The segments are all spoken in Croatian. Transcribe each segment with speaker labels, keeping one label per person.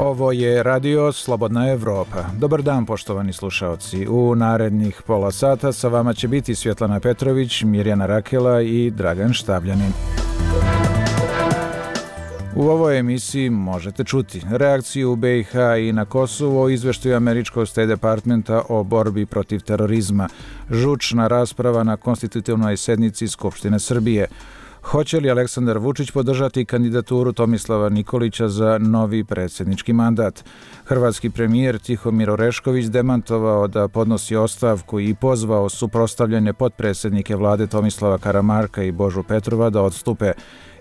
Speaker 1: Ovo je Radio Slobodna Evropa. Dobar dan, poštovani slušaoci. U narednih pola sata sa vama će biti Svjetlana Petrović, Mirjana Rakela i Dragan Štavljanin. U ovoj emisiji možete čuti reakciju u BiH i na Kosovo o izveštaju američkog State Departmenta o borbi protiv terorizma, žučna rasprava na konstitutivnoj sednici Skupštine Srbije. Hoće li Aleksandar Vučić podržati kandidaturu Tomislava Nikolića za novi predsjednički mandat? Hrvatski premijer Tihomir Orešković demantovao da podnosi ostavku i pozvao suprotstavljene potpredsjednike vlade Tomislava Karamarka i Božu Petrova da odstupe.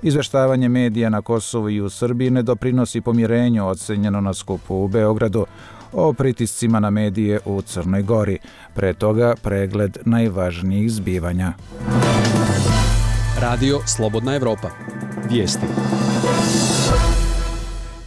Speaker 1: Izveštavanje medija na Kosovu i u Srbiji ne doprinosi pomirenju, ocenjeno na skupu u Beogradu. O pritiscima na medije u Crnoj Gori. Pre toga pregled najvažnijih zbivanja.
Speaker 2: Radio Slobodna Evropa. Vijesti.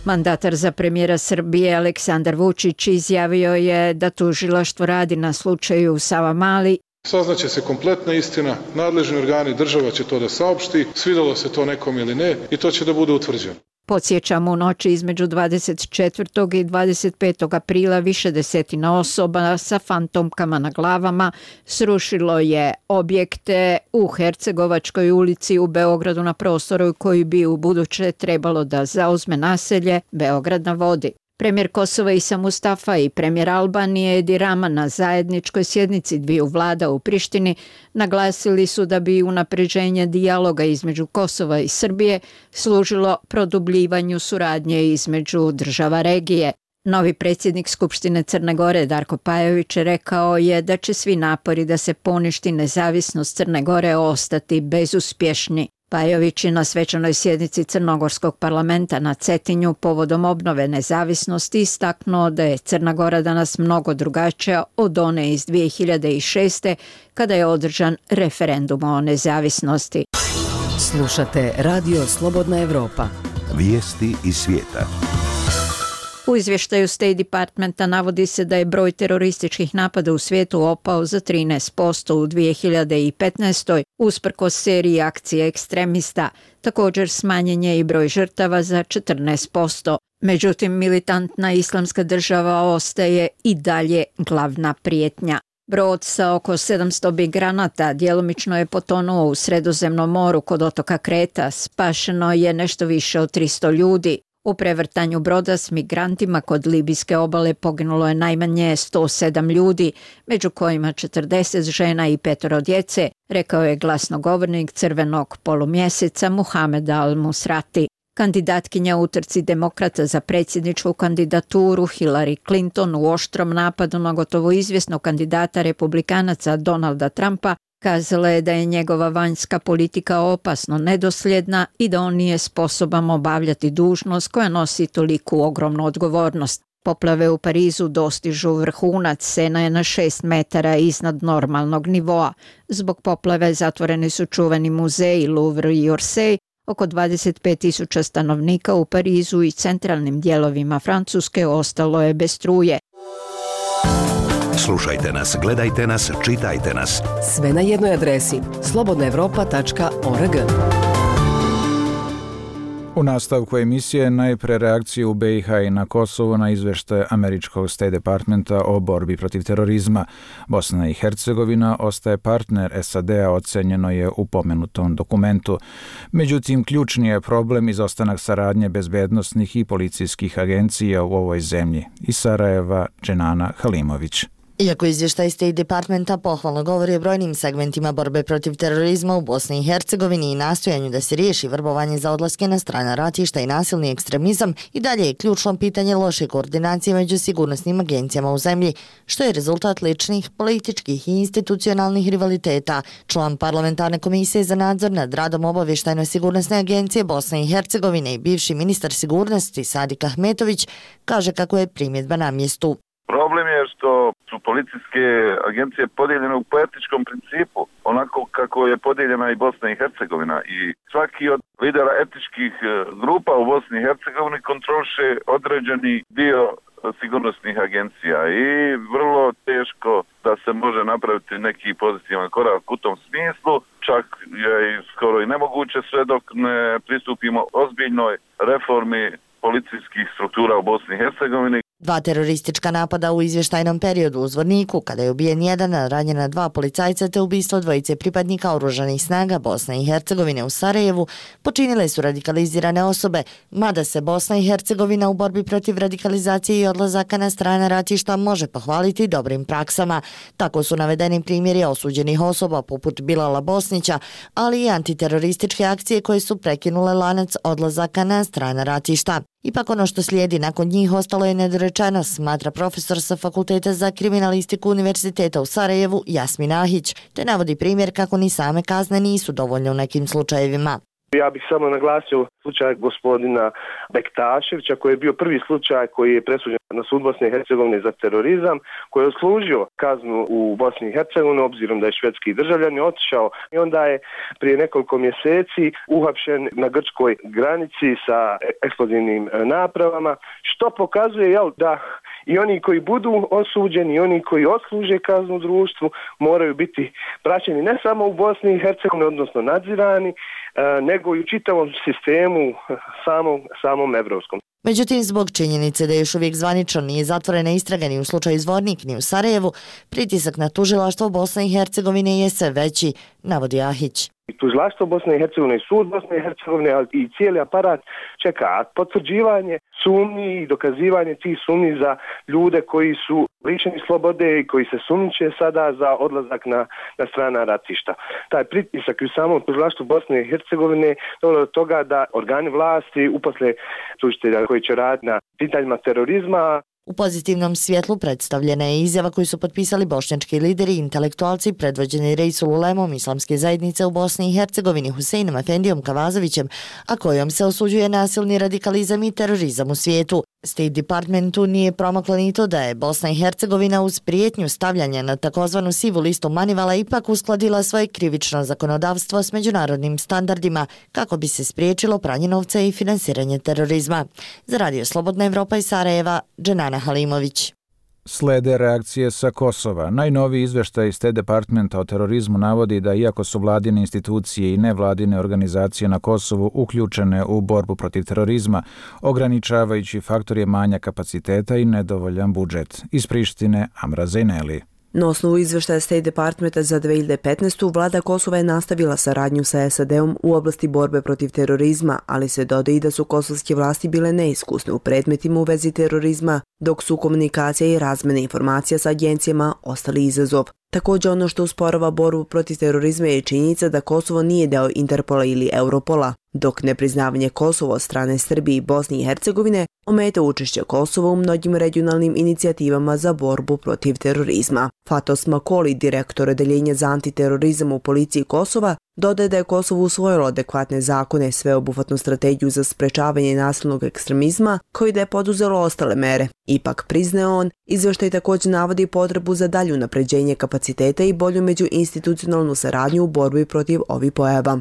Speaker 3: Mandatar za premijera Srbije Aleksandar Vučić izjavio je da tužilaštvo radi na slučaju Savamali.
Speaker 4: Saznaće se kompletna istina, nadležni organi država će to da saopšti, svidelo se to nekom ili ne i to će da bude utvrđeno.
Speaker 3: Podsjećamo, u noći između 24. i 25. aprila više desetina osoba sa fantomkama na glavama srušilo je objekte u Hercegovačkoj ulici u Beogradu na prostoru koji bi u buduće trebalo da zauzme naselje Beograd na vodi. Premijer Kosova Isa Mustafa i premijer Albanije Edi Rama na zajedničkoj sjednici dviju vlada u Prištini naglasili su da bi unapređenje dijaloga između Kosova i Srbije služilo produbljivanju suradnje između država regije. Novi predsjednik Skupštine Crne Gore Darko Pajović rekao je da će svi napori da se poništi nezavisnost Crne Gore ostati bezuspješni. Pajović je na svečanoj sjednici Crnogorskog parlamenta na Cetinju povodom obnove nezavisnosti istaknuo da je Crna Gora danas mnogo drugačija od one iz 2006. kada je održan referendum o nezavisnosti.
Speaker 5: Slušate Radio Slobodna Evropa.
Speaker 6: Vijesti iz svijeta.
Speaker 3: U izvještaju State Departmenta navodi se da je broj terorističkih napada u svijetu opao za 13% u 2015. usprkos seriji akcije ekstremista. Također smanjen je i broj žrtava za 14%. Međutim, militantna islamska država ostaje i dalje glavna prijetnja. Brod sa oko 700 migranata djelomično je potonuo u Sredozemnom moru kod otoka Kreta. Spašeno je nešto više od 300 ljudi. U prevrtanju broda s migrantima kod libijske obale poginulo je najmanje 107 ljudi, među kojima 40 žena i 5 djece, rekao je glasnogovornik Crvenog polumjeseca Muhamed al-Musrati. Kandidatkinja u utrci demokrata za predsjedničku kandidaturu Hillary Clinton u oštrom napadu na gotovo izvjesnog kandidata republikanaca Donalda Trumpa kazala je da je njegova vanjska politika opasno nedosljedna i da on nije sposoban obavljati dužnost koja nosi toliku ogromnu odgovornost. Poplave u Parizu dostižu vrhunac, Sena je na 6 metara iznad normalnog nivoa. Zbog poplave zatvoreni su čuveni muzeji Louvre i Orsay. Oko 25.000 stanovnika u Parizu i centralnim dijelovima Francuske ostalo je bez struje.
Speaker 6: Slušajte nas, gledajte nas, čitajte nas.
Speaker 5: Sve na jednoj adresi slobodnaevropa.org.
Speaker 1: U nastavku emisije najpre reakciju u BiH i na Kosovo na izveštaj američkog State Departmenta o borbi protiv terorizma. Bosna i Hercegovina ostaje partner SAD-a, ocenjeno je u pomenutom dokumentu. Međutim, ključni je problem izostanak saradnje bezbednosnih i policijskih agencija u ovoj zemlji. Iz Sarajeva, Dženana Halimović.
Speaker 7: Iako izvještaj State Departmenta pohvalno govori o brojnim segmentima borbe protiv terorizma u Bosni i Hercegovini i nastojanju da se riješi vrbovanje za odlaske na strana ratišta i nasilni ekstremizam, i dalje je ključno pitanje loše koordinacije među sigurnosnim agencijama u zemlji, što je rezultat ličnih, političkih i institucionalnih rivaliteta. Član parlamentarne komisije za nadzor nad radom obavještajno-sigurnosne agencije Bosne i Hercegovine i bivši ministar sigurnosti Sadik Ahmetović kaže kako je primjedba na mjestu.
Speaker 8: Problem je što su policijske agencije podijeljene u političkom principu, onako kako je podijeljena i Bosna i Hercegovina. I svaki od lidera etničkih grupa u Bosni i Hercegovini kontroliše određeni dio sigurnosnih agencija i vrlo teško da se može napraviti neki pozitivan korak u tom smislu. Čak je skoro i nemoguće sve dok ne pristupimo ozbiljnoj reformi policijskih struktura u Bosni i Hercegovini.
Speaker 7: 2 teroristička napada u izvještajnom periodu u Zvorniku, kada je ubijen 1, a ranjena 2 policajca te ubistvo 2 pripadnika oružanih snaga Bosne i Hercegovine u Sarajevu, počinile su radikalizirane osobe, mada se Bosna i Hercegovina u borbi protiv radikalizacije i odlazaka na strana ratišta može pohvaliti dobrim praksama. Tako su navedeni primjeri osuđenih osoba poput Bilala Bosnića, ali i antiterorističke akcije koje su prekinule lanac odlazaka na strana ratišta. Ipak ono što slijedi nakon njih ostalo je nedorečeno, smatra profesor sa Fakulteta za kriminalistiku Univerziteta u Sarajevu Jasmin Ahić, te navodi primjer kako ni same kazne nisu dovoljne u nekim slučajevima.
Speaker 9: Ja bih samo naglasio slučaj gospodina Bektaševića, koji je bio prvi slučaj koji je presuđen na sud Bosne i Hercegovine za terorizam, koji je odslužio kaznu u Bosni i Hercegovini, obzirom da je švedski državljan, je otišao i onda je prije nekoliko mjeseci uhapšen na grčkoj granici sa eksplozivnim napravama, što pokazuje da i oni koji budu osuđeni, i oni koji odsluže kaznu u društvu moraju biti praćeni ne samo u Bosni i Hercegovini, odnosno nadzirani, nego i u čitavom sistemu samom evropskom.
Speaker 7: Međutim, zbog činjenice da još uvijek zvanično nije zatvorena istraga ni u slučaju Zvornik ni u Sarajevu, pritisak na tužilaštvo Bosne i Hercegovine je sve veći, navodi Ahić.
Speaker 9: Tužilaštvo Bosne i Hercegovine i sud Bosne i Hercegovine, ali i cijeli aparat čeka potvrđivanje sumnji i dokazivanje tih sumnji za ljude koji su lišeni slobode i koji se sumnjiče sada za odlazak na strana ratišta. Taj pritisak u samom tužilaštvu Bosne i Hercegovine dovelo do toga da organi vlasti uposle tužitelja koji će raditi na pitanjima terorizma.
Speaker 7: U pozitivnom svjetlu predstavljena je izjava koju su potpisali bošnjački lideri i intelektualci predvođeni Reisul Ulemom Islamske zajednice u Bosni i Hercegovini Huseinom Efendijom Kavazovićem, a kojom se osuđuje nasilni radikalizam i terorizam u svijetu. State Departmentu nije promaklo ni to da je Bosna i Hercegovina uz prijetnju stavljanja na takozvanu sivu listu Manivala ipak uskladila svoje krivično zakonodavstvo s međunarodnim standardima kako bi se spriječilo pranje novca i finansiranje terorizma. Za Radio Slobodna Evropa iz Sarajeva, Dženana Halimović.
Speaker 1: Slede reakcije sa Kosova. Najnoviji izveštaj State Departmenta o terorizmu navodi da iako su vladine institucije i nevladine organizacije na Kosovu uključene u borbu protiv terorizma, ograničavajući faktor je manja kapaciteta i nedovoljan budžet. Iz Prištine, Amra Zejneli.
Speaker 10: Na osnovu izveštaja State Departmenta za 2015. vlada Kosova je nastavila saradnju sa SAD-om u oblasti borbe protiv terorizma, ali se dodaje i da su kosovske vlasti bile neiskusne u predmetima u vezi terorizma, dok su komunikacija i razmjena informacija sa agencijama ostali izazov. Također ono što usporava borbu protiv terorizma je činjenica da Kosovo nije deo Interpola ili Europola, dok nepriznavanje Kosova od strane Srbije i Bosne i Hercegovine ometa učešće Kosova u mnogim regionalnim inicijativama za borbu protiv terorizma. Fatos Makoli, direktor odeljenja za antiterorizam u policiji Kosova, dodaje da je Kosovo usvojilo adekvatne zakone, sveobuhvatnu strategiju za sprečavanje nasilnog ekstremizma, koji da je poduzelo ostale mere. Ipak, priznaje on, izveštaj također navodi potrebu za dalje unapređenje kapaciteta i bolju međuinstitucionalnu saradnju u borbi protiv ovih pojava.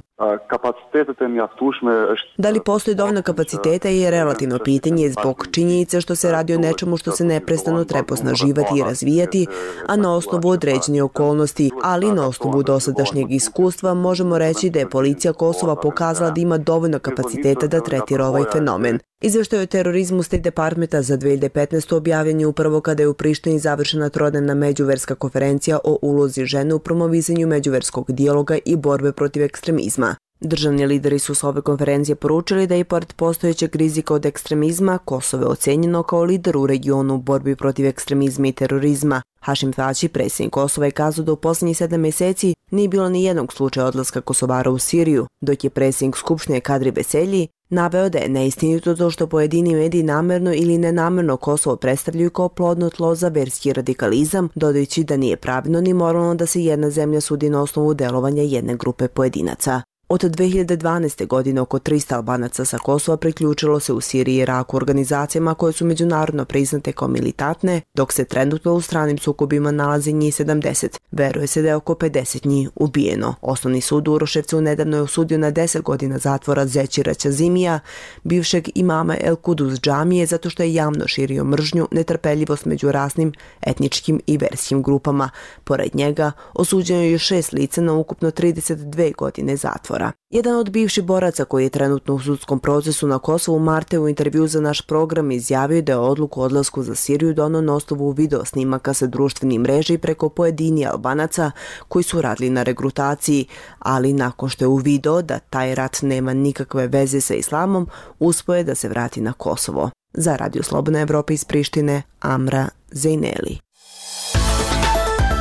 Speaker 10: Da li postoji dovoljno kapaciteta je relativno pitanje zbog činjenice što se radi o nečemu što se neprestano treba osnaživati i razvijati, a na osnovu određene okolnosti, ali na osnovu dosadašnjeg iskustva možemo reći da je policija Kosova pokazala da ima dovoljno kapaciteta da tretira ovaj fenomen. Izveštaj o terorizmu State Departmenta za 2015. objavljen je upravo kada je u Prištini završena trodnevna međuverska konferencija o ulozi žene u promovisanju međuverskog dijaloga i borbe protiv ekstremizma. Državni lideri su s ove konferencije poručili da i pored postojećeg rizika od ekstremizma, Kosovo je ocenjeno kao lider u regionu u borbi protiv ekstremizma i terorizma. Hašim Tači, predsjednik Kosova, je kazao da u posljednjih 7 mjeseci nije bilo ni jednog slučaja odlaska Kosovara u Siriju, dok je predsjednik Skupštine Kadri Veselji naveo da je neistinito to što pojedini mediji namjerno ili nenamjerno Kosovo predstavljaju kao plodno tlo za verski radikalizam, dodajući da nije pravilno ni moralno da se jedna zemlja sudi na osnovu delovanja jedne grupe pojedinaca. Od 2012. godine oko 300 Albanaca sa Kosova priključilo se u Siriji i Iraku organizacijama koje su međunarodno priznate kao militantne, dok se trenutno u stranim sukobima nalazi njih 70. Veruje se da je oko 50 njih ubijeno. Osnovni sud u Uroševcu nedavno je osudio na 10 godina zatvora Zećira Ćazimija, bivšeg imama El Kudus džamije, zato što je javno širio mržnju, netrpeljivost među rasnim, etničkim i verskim grupama. Pored njega, osuđeno je još 6 lica na ukupno 32 godine zatvora. izbora. Jedan od bivših boraca koji je trenutno u sudskom procesu na Kosovu, Marte, u intervju za naš program izjavio da je odluku o odlasku za Siriju doneo na osnovu video snimaka sa društvenih mreža i preko pojedini Albanaca koji su radili na regrutaciji, ali nakon što je uvideo da taj rat nema nikakve veze sa islamom, uspeo je da se vrati na Kosovo. Za Radio Slobodna Evropa iz Prištine, Amra Zejneli.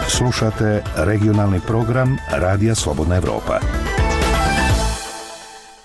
Speaker 6: Slušate regionalni program Radija Slobodna Evropa.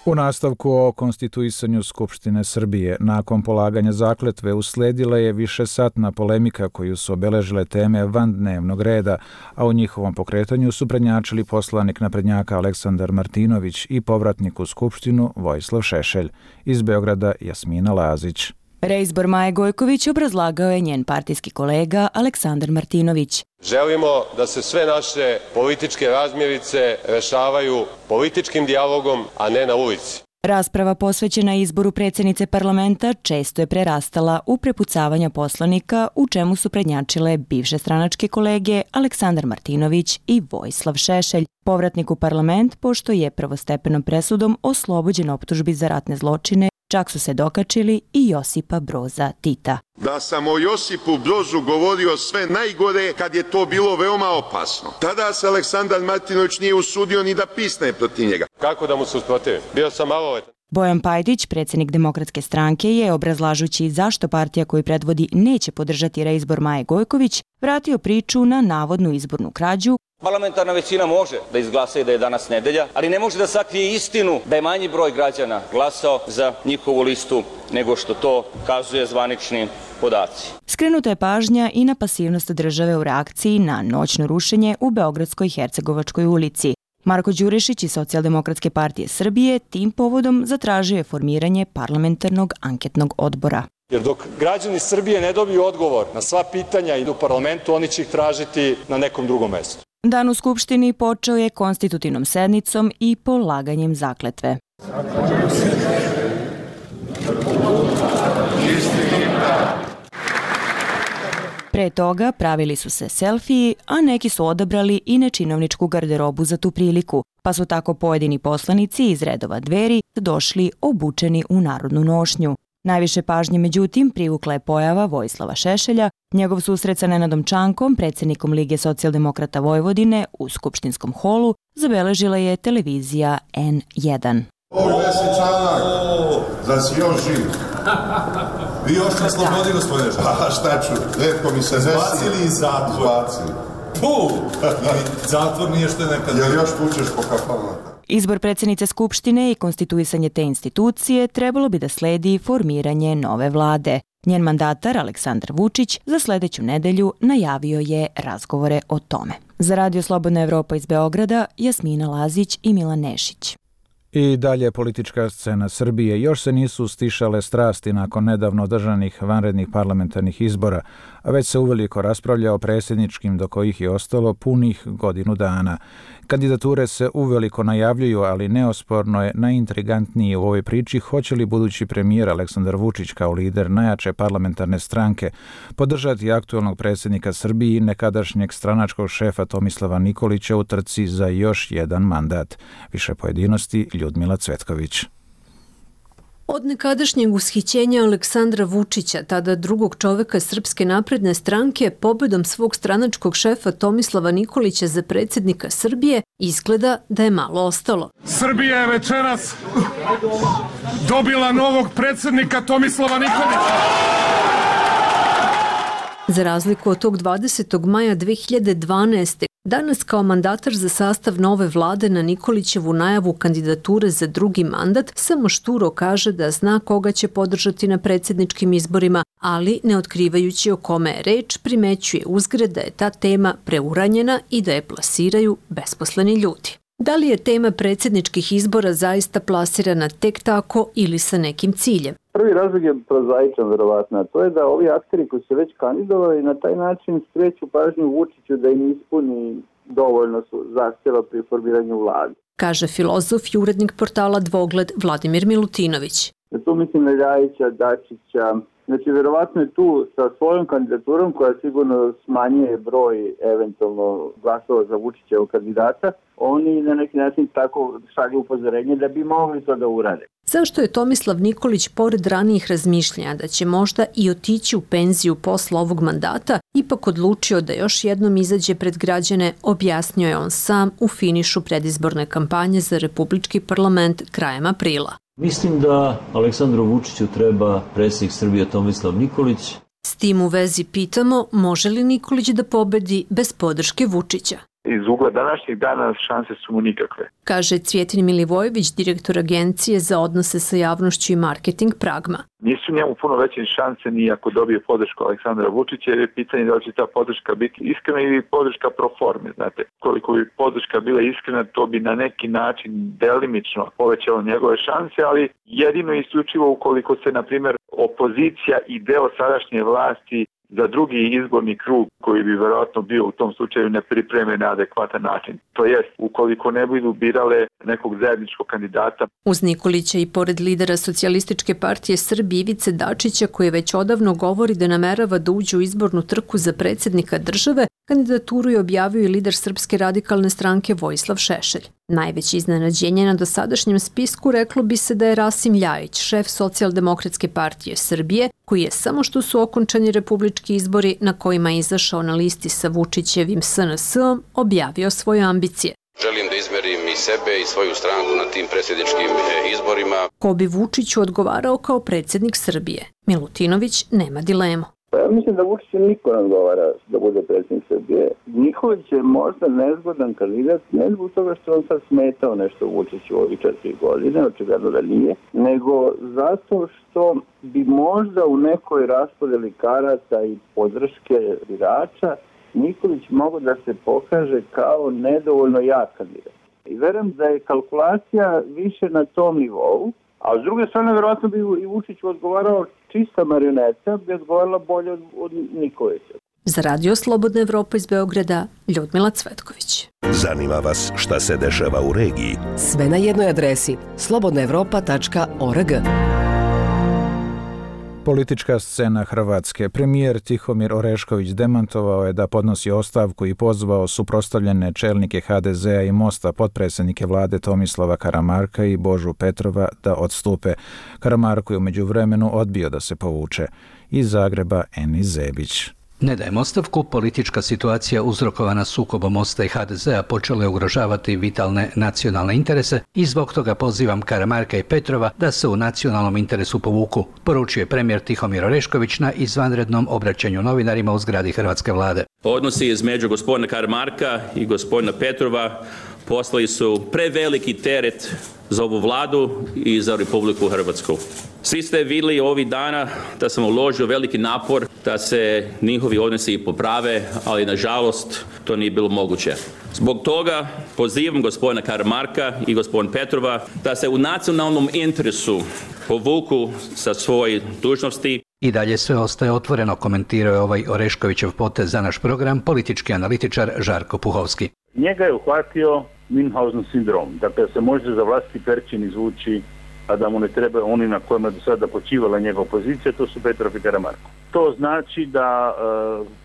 Speaker 1: U nastavku o konstituisanju Skupštine Srbije, nakon polaganja zakletve usledila je višesatna polemika koju su obeležile teme van dnevnog reda, a u njihovom pokretanju su prednjačili poslanik naprednjaka Aleksandar Martinović i povratnik u Skupštinu Vojislav Šešelj. Iz Beograda Jasmina Lazić.
Speaker 11: Reizbor Maje Gojković obrazlagao je njen partijski kolega Aleksandar Martinović.
Speaker 12: Želimo da se sve naše političke razmirice rešavaju političkim dijalogom, a ne na ulici.
Speaker 11: Rasprava posvećena izboru predsjednice parlamenta često je prerastala u prepucavanja poslanika, u čemu su prednjačile bivše stranačke kolege Aleksandar Martinović i Vojislav Šešelj, povratnik u parlament, pošto je prvostepenom presudom oslobođen optužbi za ratne zločine. Čak su se dokačili i Josipa Broza Tita.
Speaker 13: Da sam o Josipu Brozu govorio sve najgore kad je to bilo veoma opasno. Tada se Aleksandar Martinović nije usudio ni da pisne protiv njega.
Speaker 12: Kako da mu se usprotivim? Bio sam maloletan.
Speaker 11: Bojan Pajdić, predsjednik Demokratske stranke, je, obrazlažući zašto partija koju predvodi neće podržati reizbor Maje Gojković, vratio priču na navodnu izbornu krađu.
Speaker 14: Parlamentarna većina može da izglasa i da je danas nedelja, ali ne može da sakrije istinu da je manji broj građana glasao za njihovu listu nego što to kazuje zvanični podaci.
Speaker 11: Skrenuta je pažnja i na pasivnost države u reakciji na noćno rušenje u Beogradskoj Hercegovačkoj ulici. Marko Đurišić iz Socijaldemokratske partije Srbije tim povodom zatražio je formiranje parlamentarnog anketnog odbora.
Speaker 15: Jer dok građani Srbije ne dobiju odgovor na sva pitanja i u parlamentu, oni će ih tražiti na nekom drugom mestu.
Speaker 11: Dan u Skupštini počeo je konstitutivnom sednicom i polaganjem zakletve. Pre toga pravili su se selfiji, a neki su odabrali i nečinovničku garderobu za tu priliku, pa su tako pojedini poslanici iz redova Dveri došli obučeni u narodnu nošnju. Najviše pažnje, međutim, privukla je pojava Vojislava Šešelja. Njegov susret sa Nenadom Čankom, predsjednikom Lige socijaldemokrata Vojvodine, u skupštinskom holu zabeležila je televizija N1.
Speaker 16: Vesi Čanak, da si još živ. Vi još na slobodi, gospodine Žanak. A šta ću, retko mi se desi. Zbacili iz zatvora. Zatvor nije što je nekad. Jel još pučeš po kafalama?
Speaker 11: Izbor predsjednice Skupštine i konstituisanje te institucije trebalo bi da sledi formiranje nove vlade. Njen mandatar, Aleksandar Vučić, za sljedeću nedelju najavio je razgovore o tome. Za Radio Slobodna Evropa iz Beograda, Jasmina Lazić i Milan Nešić.
Speaker 1: I dalje politička scena Srbije. Još se nisu stišale strasti nakon nedavno održanih vanrednih parlamentarnih izbora, a već se uveliko raspravlja o predsjedničkim do kojih je ostalo punih godinu dana. Kandidature se uveliko najavljuju, ali neosporno je najintrigantniji u ovoj priči hoće li budući premijer Aleksandar Vučić kao lider najjače parlamentarne stranke podržati aktualnog predsjednika Srbije i nekadašnjeg stranačkog šefa Tomislava Nikolića u trci za još jedan mandat. Više pojedinosti Ljudmila Cvetković.
Speaker 17: Od nekadašnjeg ushićenja Aleksandra Vučića, tada drugog čoveka Srpske napredne stranke, pobedom svog stranačkog šefa Tomislava Nikolića za predsjednika Srbije, izgleda da je malo ostalo.
Speaker 18: Srbija je večeras dobila novog predsjednika Tomislava Nikolića.
Speaker 17: Za razliku od tog 20. maja 2012. danas kao mandatar za sastav nove vlade na Nikolićevu najavu kandidature za drugi mandat samo šturo kaže da zna koga će podržati na predsjedničkim izborima, ali ne otkrivajući o kome je reč, primećuje uzgred da je ta tema preuranjena i da je plasiraju besposleni ljudi. Da li je tema predsjedničkih izbora zaista plasirana tek tako ili sa nekim ciljem?
Speaker 19: Prvi razlog je prozaičan, verovatno, a to je da ovi akteri koji se već kandidovali na taj način skreću pažnju Vučiću da im ispuni dovoljno zahtjeva pri formiranju vlade.
Speaker 17: Kaže filozof i urednik portala Dvogled Vladimir Milutinović.
Speaker 19: Tu mislim na Ljajića, Dačića, Znači, verovatno je tu sa svojom kandidaturom, koja sigurno smanjuje broj eventualno glasova za Vučićevog kandidata, oni na neki način tako šalju upozorenje da bi mogli to da urade.
Speaker 17: Zašto je Tomislav Nikolić, pored ranijih razmišljanja da će možda i otići u penziju posle ovog mandata, ipak odlučio da još jednom izađe pred građane, objasnio je on sam u finišu predizborne kampanje za Republički parlament krajem aprila.
Speaker 20: Mislim da Aleksandru Vučiću treba predsjednik Srbije Tomislav Nikolić.
Speaker 17: S tim u vezi pitamo, može li Nikolić da pobedi bez podrške Vučića?
Speaker 21: Iz ugla današnjeg dana šanse su mu nikakve.
Speaker 17: Kaže Cvjetin Milivojević, direktor Agencije za odnose sa javnošću i marketing Pragma.
Speaker 21: Nisu njemu puno veće šanse ni ako dobije podršku Aleksandra Vučića, jer je pitanje da li će ta podrška biti iskrena ili podrška pro forme. Znate, koliko bi podrška bila iskrena, to bi na neki način delimično povećalo njegove šanse, ali jedino i isključivo ukoliko se, na primjer, opozicija i deo sadašnje vlasti za drugi izborni krug, koji bi verovatno bio u tom slučaju, ne pripreme na adekvatan način. To jest, ukoliko ne budu birale nekog zajedničkog kandidata.
Speaker 17: Uz Nikolića i pored lidera Socijalističke partije Srbije Ivice Dačića, koji već odavno govori da namerava da uđe u izbornu trku za predsjednika države, kandidaturu je objavio i lider Srpske radikalne stranke Vojislav Šešelj. Najveće iznenađenje na dosadašnjem spisku reklo bi se da je Rasim Ljajić, šef Socijaldemokratske partije Srbije, koji je samo što su okončani republički izbori na kojima je izašao na listi sa Vučićevim SNS-om, objavio svoje ambicije.
Speaker 22: Želim da izmerim i sebe i svoju stranku na tim predsjedničkim izborima.
Speaker 17: Ko bi Vučiću odgovarao kao predsjednik Srbije? Milutinović nema dilemu.
Speaker 19: Ja mislim da Vučiću niko ne odgovara da bude predsjednik Srbije. Nikolić je možda nezgodan kandidat, ne zbog toga što on sad smetao nešto Vučiću u ovih 4 godine, očigledno da nije, nego zato što bi možda u nekoj raspodeli karata i podrške birača Nikolić mogao da se pokaže kao nedovoljno jak kandidat. I verujem da je kalkulacija više na tom nivou, a s druge strane verovatno bi i Vučiću odgovarao čista marioneta, bi odgovarala bolje od Nikolića.
Speaker 17: Za Radio Slobodna Evropa iz Beograda, Ljudmila Cvetković.
Speaker 6: Zanima vas šta se dešava u regiji?
Speaker 5: Sve na jednoj adresi slobodnaevropa.org.
Speaker 1: Politička scena Hrvatske. Premijer Tihomir Orešković demantovao je da podnosi ostavku i pozvao suprotstavljene čelnike HDZ-a i Mosta, potpredsjednike vlade Tomislava Karamarka i Božu Petrova da odstupe. Karamarko je u međuvremenu odbio da se povuče. Iz Zagreba Enis Zebić.
Speaker 23: Ne dajem ostavku, politička situacija uzrokovana sukobom Mosta i HDZ-a počela je ugrožavati vitalne nacionalne interese i zbog toga pozivam Karamarka i Petrova da se u nacionalnom interesu povuku, poručio je premijer Tihomir Orešković na izvanrednom obraćanju novinarima u zgradi Hrvatske vlade.
Speaker 24: Odnosi između gospodina Karamarka i gospodina Petrova poslali su preveliki teret za ovu vladu i za Republiku Hrvatsku. Svi ste vidjeli ovih dana da sam uložio veliki napor da se njihovi odnosi poprave, ali nažalost to nije bilo moguće. Zbog toga pozivam gospodina Karamarka i gospodina Petrova da se u nacionalnom interesu povuku sa svoje dužnosti.
Speaker 23: I dalje sve ostaje otvoreno, komentirao je ovaj Oreškovićev potez za naš program politički analitičar Žarko Puhovski.
Speaker 25: Njega je uhvatio Münchhausen sindrom, dakle se može za vlastiti perčin izvući, a da mu ne treba oni na kojima do sada počivala njegova pozicija, to su Petrov i Karamarko. To znači da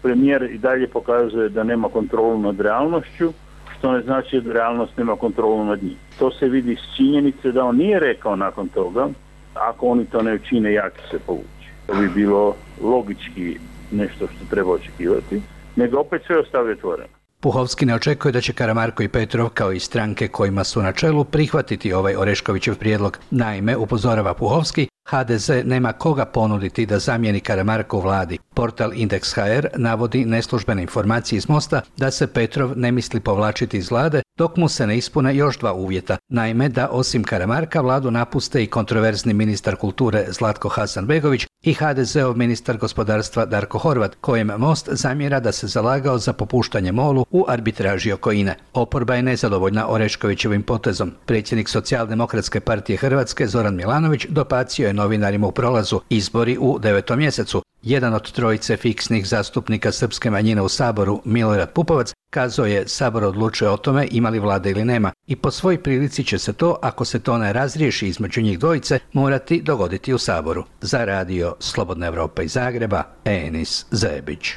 Speaker 25: premijer i dalje pokazuje da nema kontrolu nad realnošću, što ne znači da realnost nema kontrolu nad njim. To se vidi iz činjenice da on nije rekao nakon toga, ako oni to ne učine, ja ću se povući. To bi bilo logički nešto što treba očekivati, nego opet sve ostavi otvoreno.
Speaker 23: Puhovski ne očekuje da će Karamarko i Petrov, kao i stranke kojima su na čelu, prihvatiti ovaj Oreškovićev prijedlog. Naime, upozorava Puhovski, HDZ nema koga ponuditi da zamijeni Karamarka u vladi. Portal Indeks.hr navodi neslužbene informacije iz Mosta da se Petrov ne misli povlačiti iz vlade dok mu se ne ispune još 2 uvjeta. Naime, da osim Karamarka vladu napuste i kontroverzni ministar kulture Zlatko Hasanbegović i HDZ-ov ministar gospodarstva Darko Horvat, kojem Most zamjera da se zalagao za popuštanje MOL-u u arbitraži oko INE. Oporba je nezadovoljna Oreškovićevim potezom. Predsjednik Socijaldemokratske partije Hrvatske Zoran Milanović dopacio je novinarima u prolazu izbori u 9. mjesecu. Jedan od trojice fiksnih zastupnika srpske manjine u Saboru, Milorad Pupovac, Kazao je, Sabor odlučuje o tome ima li vlada ili nema i po svoj prilici će se to, ako se to ne razriješi između njih dvojice, morati dogoditi u Saboru. Za radio Slobodna Evropa iz Zagreba, Enis Zebić.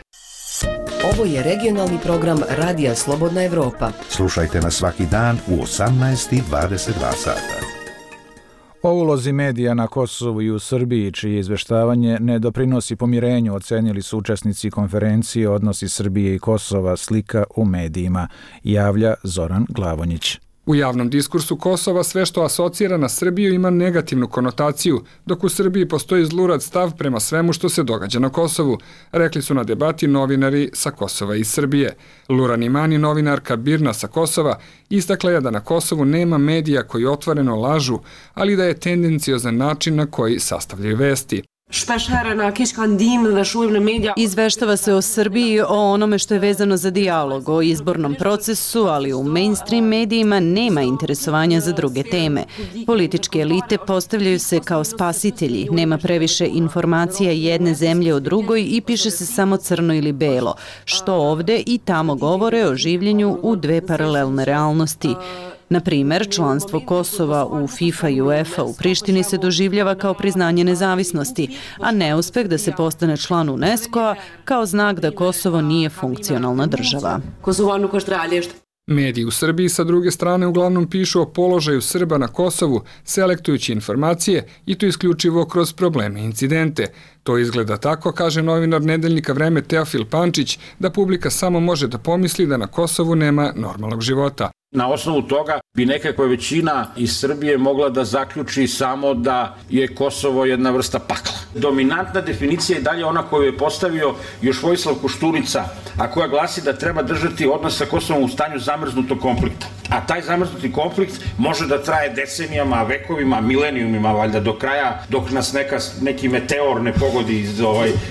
Speaker 5: Ovo je regionalni program Radija Slobodna Evropa.
Speaker 6: Slušajte nas svaki dan u 18:22 sata.
Speaker 1: O ulozi medija na Kosovu i u Srbiji, čije izveštavanje ne doprinosi pomirenju, ocenili su učesnici konferencije Odnosi Srbije i Kosova, slika u medijima, javlja Zoran Glavonjić.
Speaker 2: U javnom diskursu Kosova sve što asocira na Srbiju ima negativnu konotaciju, dok u Srbiji postoji zlurad stav prema svemu što se događa na Kosovu, rekli su na debati novinari sa Kosova i Srbije. Luran Imani, novinarka Birna sa Kosova, istakla je da na Kosovu nema medija koji otvoreno lažu, ali da je tendenciozan način na koji sastavljaju vesti.
Speaker 3: Izveštava se o Srbiji, o onome što je vezano za dijalog, o izbornom procesu, ali u mainstream medijima nema interesovanja za druge teme. Političke elite postavljaju se kao spasitelji, nema previše informacija jedne zemlje o drugoj i piše se samo crno ili belo, što ovde i tamo govore o življenju u dve paralelne realnosti. Na primer, članstvo Kosova u FIFA i UEFA u Prištini se doživljava kao priznanje nezavisnosti, a neuspeh da se postane član UNESCO-a kao znak da Kosovo nije funkcionalna država.
Speaker 2: Mediji u Srbiji sa druge strane uglavnom pišu o položaju Srba na Kosovu, selektujući informacije i to isključivo kroz probleme i incidente. To izgleda tako, kaže novinar nedeljnika Vreme Teofil Pančić, da publika samo može da pomisli da na Kosovu nema normalnog života.
Speaker 4: Na osnovu toga bi nekakva većina iz Srbije mogla da zaključi samo da je Kosovo jedna vrsta pakla. Dominantna definicija je dalje ona koju je postavio još Vojislav Koštunica, a koja glasi da treba držati odnos sa Kosovom u stanju zamrznutog konflikta. A taj zamrznuti konflikt može da traje decenijama, vekovima, milenijumima, valjda do kraja, dok nas neki meteor ne pogodi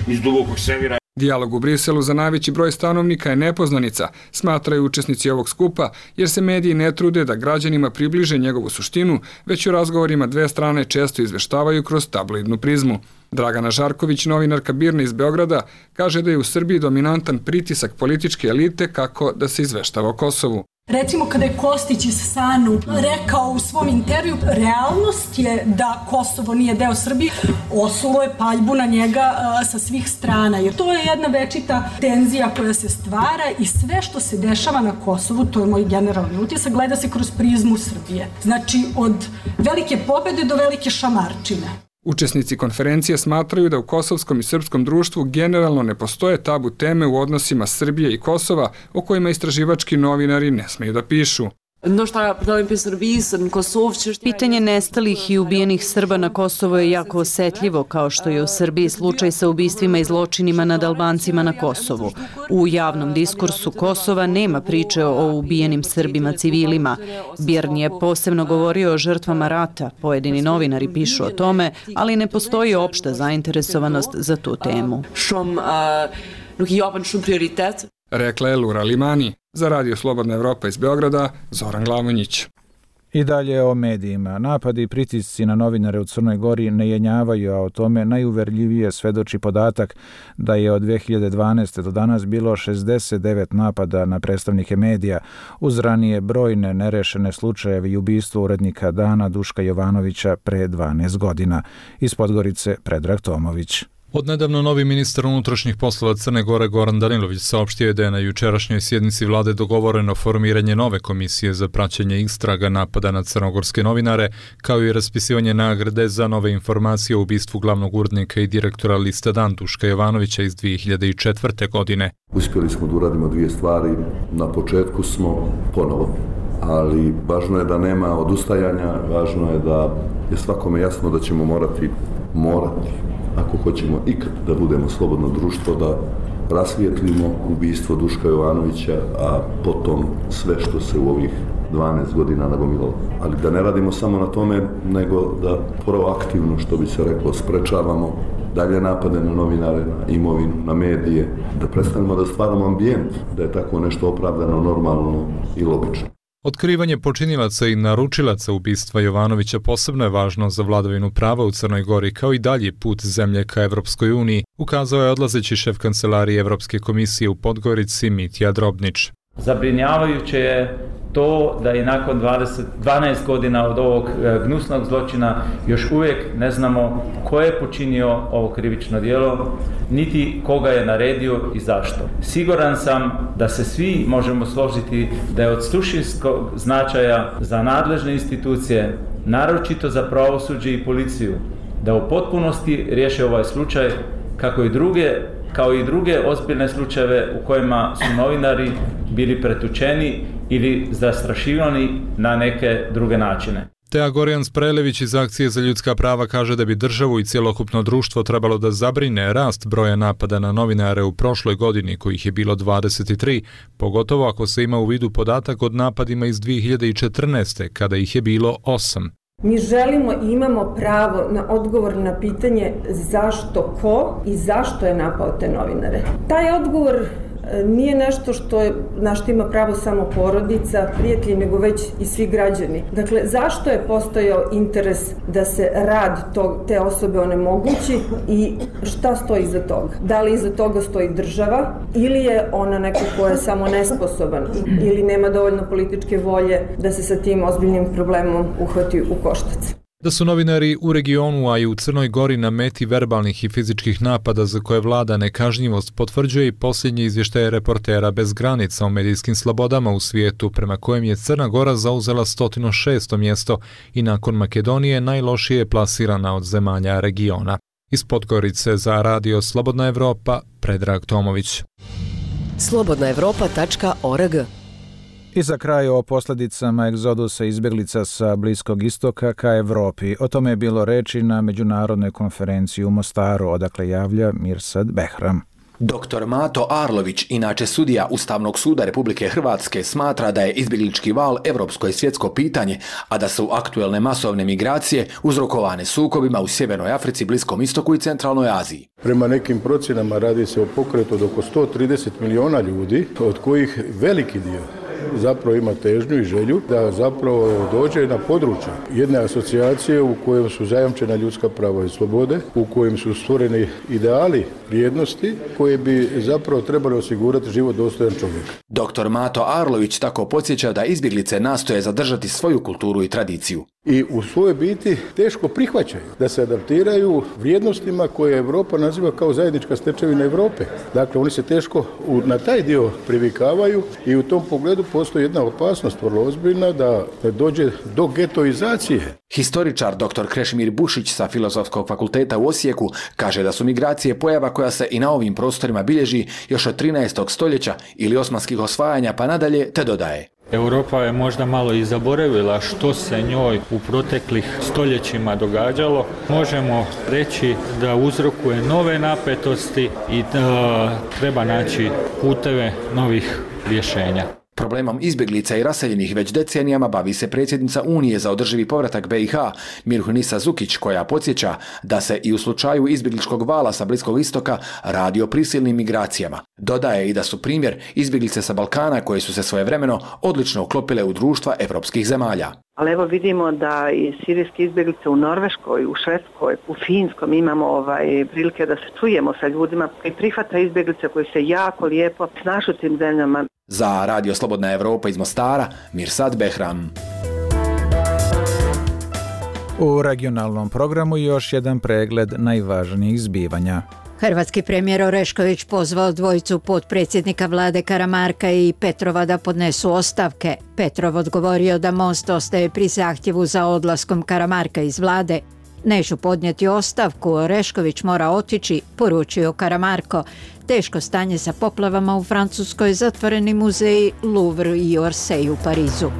Speaker 4: iz dubokog svemira.
Speaker 2: Dijalog u Briselu za najveći broj stanovnika je nepoznanica, smatraju učesnici ovog skupa, jer se mediji ne trude da građanima približe njegovu suštinu, već u razgovorima dve strane često izveštavaju kroz tabloidnu prizmu. Dragana Žarković, novinarka Birne iz Beograda, kaže da je u Srbiji dominantan pritisak političke elite kako da se izveštava o Kosovu.
Speaker 8: Recimo kada je Kostić iz SANU rekao u svom intervju, realnost je da Kosovo nije deo Srbije, osulo je paljbu na njega sa svih strana, jer to je jedna večita tenzija koja se stvara i sve što se dešava na Kosovu, to je moj generalni utisak, gleda se kroz prizmu Srbije. Znači od velike pobede do velike šamarčine.
Speaker 2: Učesnici konferencije smatraju da u kosovskom i srpskom društvu generalno ne postoje tabu teme u odnosima Srbije i Kosova o kojima istraživački novinari ne smeju da pišu.
Speaker 3: Pitanje nestalih i ubijenih Srba na Kosovo je jako osetljivo, kao što je u Srbiji slučaj sa ubistvima i zločinima nad Albancima na Kosovu. U javnom diskursu Kosova nema priče o ubijenim Srbima civilima. Birn je posebno govorio o žrtvama rata, pojedini novinari pišu o tome, ali ne postoji opšta zainteresovanost za tu temu.
Speaker 2: Rekla je Lura Limani. Za Radio Slobodna Evropa iz Beograda, Zoran Glavonjić.
Speaker 1: I dalje o medijima. Napadi i pritisci na novinare u Crnoj Gori ne jenjavaju, a o tome najuverljivije svedoči podatak da je od 2012. do danas bilo 69 napada na predstavnike medija, uz ranije brojne nerešene slučajeve i ubistvo urednika Dana Duška Jovanovića pre 12 godina. Iz Podgorice Predrag Tomović.
Speaker 9: Odnedavno novi ministar unutrašnjih poslova Crne Gore Goran Danilović saopštio je da je na jučerašnjoj sjednici vlade dogovoreno formiranje nove komisije za praćenje istraga napada na crnogorske novinare, kao i raspisivanje nagrade za nove informacije o ubistvu glavnog urednika i direktora lista Dan Duška Jovanovića iz 2004. godine.
Speaker 26: Uspjeli smo da uradimo dvije stvari. Na početku smo ponovo, ali važno je da nema odustajanja, važno je da je svakome jasno da ćemo morati ako hoćemo ikad da budemo slobodno društvo, da rasvijetlimo ubistvo Duška Jovanovića, a potom sve što se u ovih 12 godina nagomilalo. Ali da ne radimo samo na tome, nego da proaktivno, što bi se reklo, sprečavamo dalje napade na novinare, na imovinu, na medije, da prestanemo da stvaramo ambijent, da je tako nešto opravdano, normalno i logično.
Speaker 9: Otkrivanje počinilaca i naručilaca ubistva Jovanovića posebno je važno za vladavinu prava u Crnoj Gori, kao i dalji put zemlje ka Evropskoj uniji, ukazao je odlazeći šef kancelarije Evropske komisije u Podgorici Mitja Drobnić.
Speaker 7: Zabrinjavajuće je to da i nakon 12 godina od ovog gnusnog zločina još uvijek ne znamo ko je počinio ovo krivično djelo, niti koga je naredio i zašto. Siguran sam da se svi možemo složiti da je od suštinskog značaja za nadležne institucije, naročito za pravosuđe i policiju, da u potpunosti riješe ovaj slučaj kao i druge ozbiljne slučajeve u kojima su novinari bili pretučeni ili zastrašivani na neke druge načine.
Speaker 9: Teja Gorjan Sprelević iz Akcije za ljudska prava kaže da bi državu i cjelokupno društvo trebalo da zabrine rast broja napada na novinare u prošloj godini, kojih je bilo 23, pogotovo ako se ima u vidu podatak od napadima iz 2014. kada ih je bilo 8.
Speaker 10: Mi želimo i imamo pravo na odgovor na pitanje zašto ko i zašto je napao te novinare. Taj odgovor nije nešto na što ima pravo samo porodica, prijatelji, nego već i svi građani. Dakle, zašto je postojao interes da se rad te osobe onemogući i šta stoji iza toga? Da li iza toga stoji država ili je ona neko ko je samo nesposoban ili nema dovoljno političke volje da se sa tim ozbiljnim problemom uhvati u koštac?
Speaker 9: Da su novinari u regionu, a i u Crnoj Gori na meti verbalnih i fizičkih napada za koje vlada nekažnjivost, potvrđuje i posljednji izvještaj Reportera bez granica o medijskim slobodama u svijetu, prema kojem je Crna Gora zauzela 106. mjesto i nakon Makedonije najlošije plasirana od zemalja regiona. Iz Podgorice za Radio Slobodna Evropa, Predrag Tomović.
Speaker 5: slobodnaevropa.org.
Speaker 1: I za kraj o posljedicama egzodusa izbjeglica sa Bliskog istoka ka Evropi. O tome je bilo reči na međunarodnoj konferenciji u Mostaru, odakle javlja Mirsad Behram.
Speaker 12: Dr. Mato Arlović, inače sudija Ustavnog suda Republike Hrvatske, smatra da je izbjeglički val evropsko i svjetsko pitanje, a da su aktuelne masovne migracije uzrokovane sukobima u Sjevernoj Africi, Bliskom istoku i Centralnoj Aziji.
Speaker 13: Prema nekim procjenama radi se o pokretu od oko 130 miliona ljudi, od kojih veliki dio zapravo ima težnju i želju da zapravo dođe na područje jedne asocijacije u kojem su zajamčena ljudska prava i slobode, u kojem su stvoreni ideali vrijednosti koje bi zapravo trebali osigurati život dostojan čovjeka.
Speaker 12: Dr. Mato Arlović tako podsjeća da izbjeglice nastoje zadržati svoju kulturu i tradiciju.
Speaker 13: I u svojoj biti teško prihvaćaju da se adaptiraju vrijednostima koje Europa naziva kao zajednička stečevina Europe. Dakle, oni se teško na taj dio privikavaju i u tom pogledu postoji jedna opasnost vrlo ozbiljna da dođe do getoizacije.
Speaker 12: Historičar dr. Krešimir Bušić sa Filozofskog fakulteta u Osijeku kaže da su migracije pojava koja se i na ovim prostorima bilježi još od 13. stoljeća ili osmanskih osvajanja pa nadalje, te dodaje.
Speaker 14: Europa je možda malo i zaboravila što se njoj u proteklih stoljećima događalo. Možemo reći da uzrokuje nove napetosti i da treba naći puteve novih rješenja.
Speaker 12: Problemom izbjeglica i raseljenih već decenijama bavi se predsjednica Unije za održivi povratak BiH, Mirhunisa Zukić, koja podsjeća da se i u slučaju izbjegličkog vala sa Bliskog istoka radi o prisilnim migracijama. Dodaje i da su primjer izbjeglice sa Balkana koje su se svojevremeno odlično uklopile u društva evropskih zemalja.
Speaker 15: Ali evo vidimo da i sirijske izbjeglice u Norveškoj, u Švedskoj, u Finskom imamo prilike da se čujemo sa ljudima koji prihvata izbjeglice koji se jako lijepo snašu u tim zemljama.
Speaker 12: Za Radio Slobodna Evropa iz Mostara, Mirsad Behram.
Speaker 1: U regionalnom programu još jedan pregled najvažnijih zbivanja.
Speaker 27: Hrvatski premijer Orešković pozvao dvojicu potpredsjednika vlade Karamarka i Petrova da podnesu ostavke. Petrov odgovorio da Most ostaje pri zahtjevu za odlaskom Karamarka iz vlade. Neću podnijeti ostavku, Orešković mora otići, poručio Karamarko. Teško stanje sa poplavama u Francuskoj, zatvoreni muzeji Louvre i Orsay u Parizu.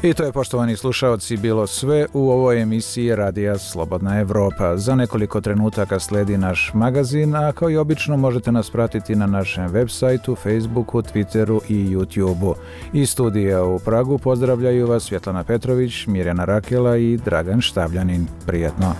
Speaker 1: I to je, poštovani slušaoci, bilo sve u ovoj emisiji Radija Slobodna Evropa. Za nekoliko trenutaka sledi naš magazin, a kao i obično možete nas pratiti na našem web sajtu, Facebooku, Twitteru i YouTubeu. Iz studija u Pragu pozdravljaju vas Svjetlana Petrović, Mirjana Rakela i Dragan Štavljanin. Prijetno!